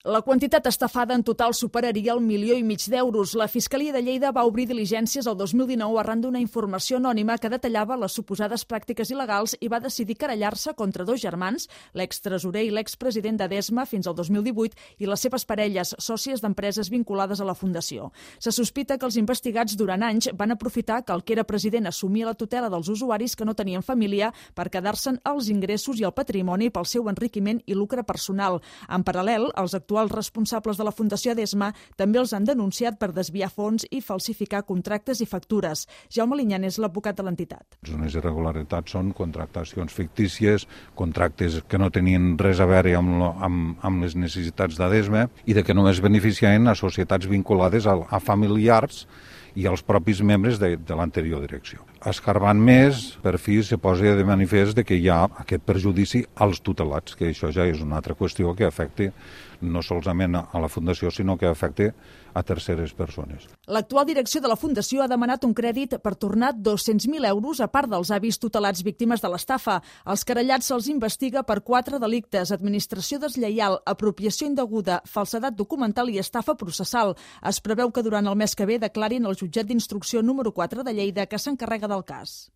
La quantitat estafada en total superaria el 1,5 milió d'euros. La Fiscalia de Lleida va obrir diligències el 2019 arran d'una informació anònima que detallava les suposades pràctiques il·legals i va decidir querellar-se contra 2 germans, l'extresorer i l'expresident d'Edesma fins al 2018 i les seves parelles, sòcies d'empreses vinculades a la Fundació. Se sospita que els investigats durant anys van aprofitar que el que era president assumia la tutela dels usuaris que no tenien família per quedar-se'n els ingressos i el patrimoni pel seu enriquiment i lucre personal. En paral·lel, els actuals responsables de la Fundació Edesma també els han denunciat per desviar fons i falsificar contractes i factures. Jaume Linyan és l'advocat de l'entitat. Les irregularitats són contractacions fictícies, contractes que no tenien res a veure amb les necessitats d'Edesma i de que només beneficiaven a societats vinculades a familiars i als propis membres de l'anterior direcció. Escarbant més, per fi se posa de manifest que hi ha aquest perjudici als tutelats, que això ja és una altra qüestió que afecta no solament a la Fundació, sinó que afecta a terceres persones. L'actual direcció de la Fundació ha demanat un crèdit per tornar 200.000 euros a part dels avis tutelats víctimes de l'estafa. Els querellats se'ls investiga per 4 delictes: administració deslleial, apropiació indeguda, falsedat documental i estafa processal. Es preveu que durant el mes que ve declarin al jutjat d'instrucció número 4 de Lleida, que s'encarrega del cas.